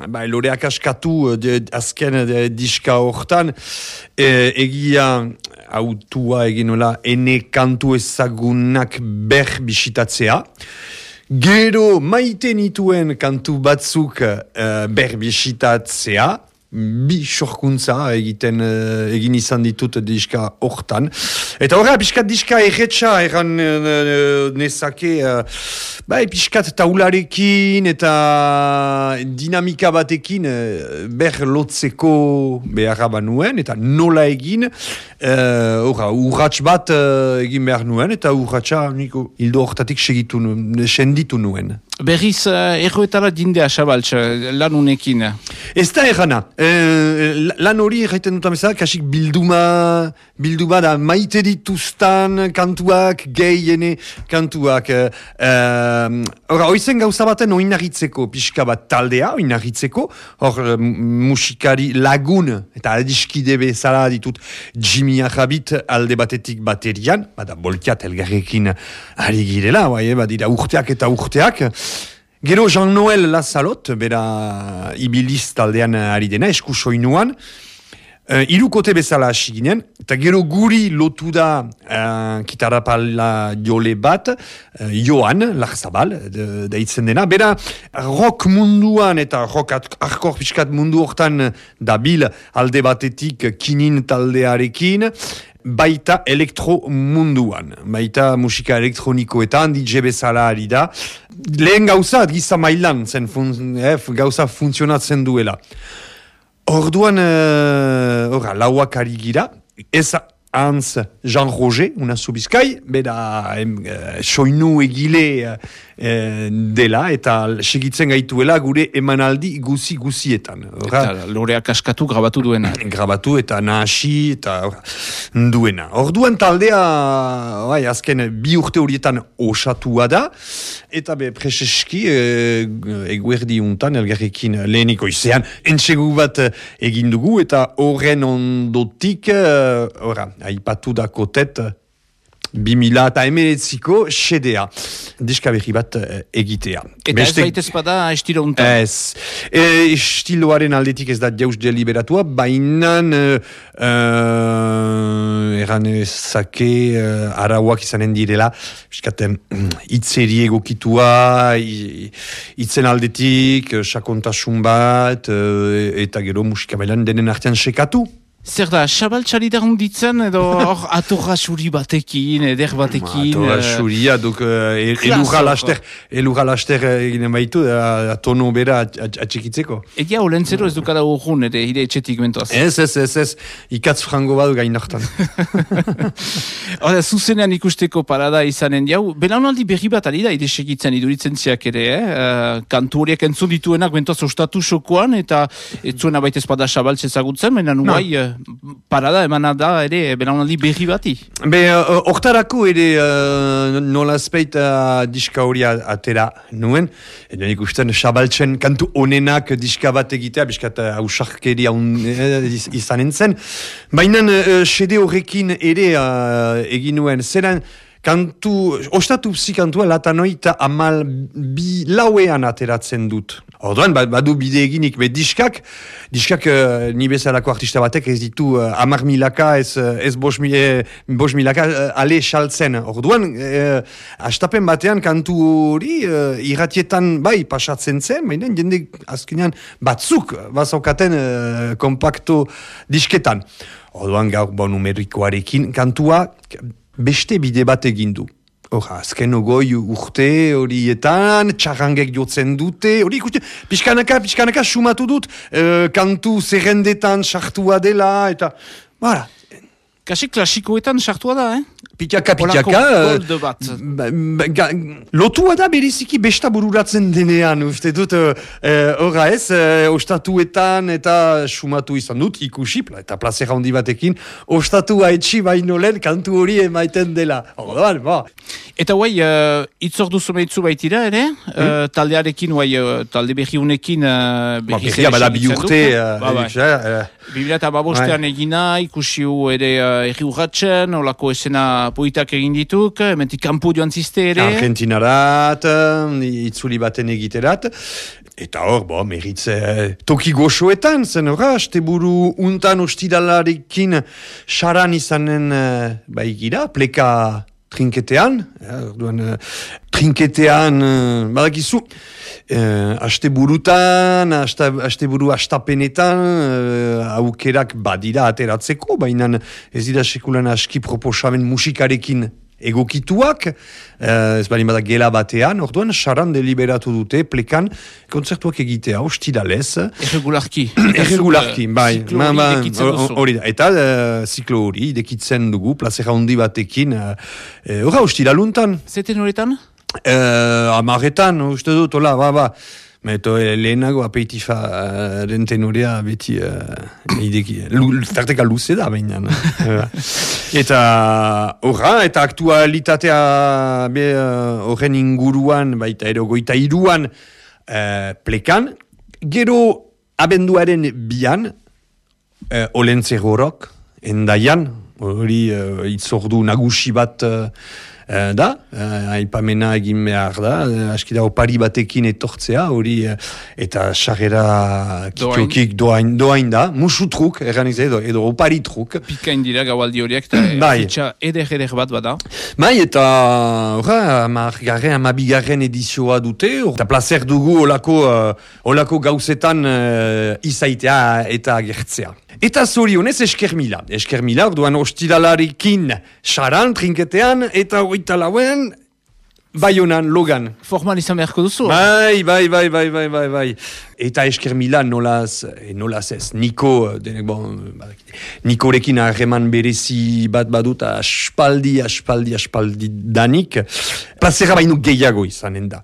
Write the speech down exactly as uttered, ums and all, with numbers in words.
ba, loreak askatu de, azken de, diska hortan, e, egia autua eginola ene kantu ezagunak ber bisitatzea. Gero maite nituen kantu batzuk uh, ber bisitatzea. Bi sorkuntza egiten uh, egin izan ditut diska hortan. Eta horra, piskat diska erretxa erran uh, nezake, uh, bai, piskat taularekin eta dinamika batekin uh, ber lotzeko beharra banuen, eta nola egin, horra, uh, urratx bat uh, egin behar nuen, eta urratxa niko hildo hortatik segitu, senditu nuen. Berriz, uh, erroetara dindea, Xabaltz, lan unekin? Ez da errana. Uh, lan hori erraiten dut amezak, kasik bilduma, bilduma da maite dituztan kantuak, gehiene kantuak. Uh, Hora, oizen gauza baten oinarritzeko, pixka bat taldea, oinarritzeko, hor uh, musikari lagun, eta adiskide bezala ditut Jimmy Arrabit alde batetik baterian, bada bolkiat elgarrekin ari girela, bai, badira urteak eta urteak. Gero Jean-Noël Lazalot, bera ibiliz taldean ari dena, esku soinuan, uh, irukote bezala hasi ginen, eta gero guri lotu da uh, kitarapala jole bat, uh, Joan Larzabal, deitzen dena, bera rock munduan eta rock hardcore piskat mundu hortan dabil alde batetik kinin taldearekin, baita elektro munduan, baita musika elektronikoetan, D J bezala ari da. Lehen gauza, giza mailan, zen fun, eh, gauza funtzionatzen duela. Orduan, uh, lauak ari gira, ez Hans Jean Roger, una zubizkai, bera uh, soinu egile uh, dela, eta segitzen gaituela gure emanaldi guzi-guzietan. Eta loreak askatu grabatu duena. Grabatu eta nahasi eta ora, duena. Orduan taldea, bai, azken bi urte horietan osatua da, eta be preseski uh, eguerdi untan elgarrekin leheniko izean entsegu bat egin dugu, eta horren ondotik, uh, ora, aipatu da kotet bi mila eta emeretziko xedea. Diska berri bat egitea. Eta Beste... ez baita ezpada estilo untan? Ez. E, estiloaren aldetik ez da jauz deliberatua, bainan uh, eran ezake uh, arauak izanen direla, biskaten itzeri egokitua, itzen aldetik, sakontasun bat, uh, eta gero musika bailan denen artean sekatu. Zer da, Xabaltzari da hunditzen, edo hor atorra suri batekin, eder batekin... Atorra suria, duk elurra laster, elurra laster eginen baitu, tono bera atxikitzeko. Egia olentzero ez dukada urrun, ere hire etxetik mentoaz. Ez, ez, ez, ez, ikatz frango badu gain hartan. Hora, zuzenean ikusteko parada izanen jau, belaunaldi berri bat ari da, ide segitzen iduritzen ziak ere, eh? kantu horiek entzun dituenak mentoaz ostatu sokoan, eta ez zuena baita espada Xabaltz ezagutzen, baina nuai... parada emana da ere belaunaldi berri bati. Be, hortarako ere uh, nolazpeit uh, diska hori atera nuen, edo nik ustean Xabaltzen kantu onenak diska bat egitea, biskat hausarkeria uh, izanen zen. Baina uh, xede horrekin ere uh, egin nuen, zeran kantu, ostatu psi kantua latanoita amal bi lauean ateratzen dut. Orduan, badu bide eginik, be diskak, diskak uh, ni bezalako artista batek ez ditu uh, amar milaka, ez, ez bos, eh, bos milaka uh, ale xaltzen. Orduan, uh, astapen batean kantu hori uh, irratietan bai pasatzen zen, baina jende azkenean batzuk bazaukaten uh, kompakto disketan. Orduan, gaur bon numerikoarekin kantua beste bide bat egin du. Hora, azken ogoi urte horietan, txarrangek jotzen dute, hori ikusten, pixkanaka, pixkanaka sumatu dut, uh, kantu zerrendetan sartua dela, eta, bara. Kasi klasikoetan sartua da, eh? Pitaka, pitaka. Olako bat. Lotua da bereziki besta bururatzen denean, uste dut, horra uh, ez, uh, ostatuetan eta sumatu izan dut, ikusi, eta plazera handi batekin, ostatu haetxi baino lehen kantu hori emaiten dela. Orduan, ba. Eta guai, uh, itzordu zumeitzu baitira, ere? Hmm? Uh, taldearekin, guai, uh, talde berri unekin... Uh, ba, berria, bada bi urte... Biblia eta babostean egina, ikusiu ere uh, erri urratzen, olako esena poitak egin dituk, mentik kanpo joan ziste ere. Argentinarat, itzuli baten egiterat. Eta hor, bo, meritze toki goxoetan, zen horra, asteburu untan ostidalarekin saran izanen uh, baigira, pleka trinketean, ja, orduan, uh, trinketean, uh, badakizu, uh, asteburutan, asta, asteburu astapenetan, uh, aukerak badira ateratzeko, baina ez dira sekulan aski proposamen musikarekin egokituak, uh, ez bali bada gela batean, orduan, saran deliberatu dute, plekan, kontzertuak egitea, ostidalez. Erregularki. Erregularki, bai. Ziklo hori idekitzen duzu. Hori da, eta uh, ziklo hori idekitzen dugu, plazera handi batekin, horra, uh, ostidaluntan. Zeten horretan? Uh, Amaretan, uste dut, hola, ba, ba. Meto, lehenago apeitifa uh, den tenorea beti uh, ideki, tarteka luze da baina. Eta horra, eta aktualitatea horren uh, inguruan, baita ero goita iruan uh, plekan, gero abenduaren bian, uh, Olentzerorok, endaian, hori uh, itzordu nagusi bat uh, Uh, da, uh, aipamena egin behar da, uh, askida opari batekin etortzea, hori, uh, eta sarrera kitokik doain, doain da, musutruk, erran izan, edo, edo opari truk. Pikain dira gaualdi horiek, eta bai. Fitxa eder-eder bat bada. Bai, eta, horra, amargarren, amabigarren edizioa dute, eta placer dugu olako, uh, olako gauzetan uh, izaitea eta agertzea. Eta zorionez esker mila. Esker mila, orduan ostidalarikin saran, trinketean, eta hogeita lauen, Baionan, Logan. Formal izan beharko duzu? Bai, bai, bai, bai, bai, bai, bai. Eta esker mila nolaz, e, nolaz ez, Niko, denek bon, Nikorekin harreman berezi bat badut, aspaldi, aspaldi, aspaldi danik, plazera baino gehiago izanen da.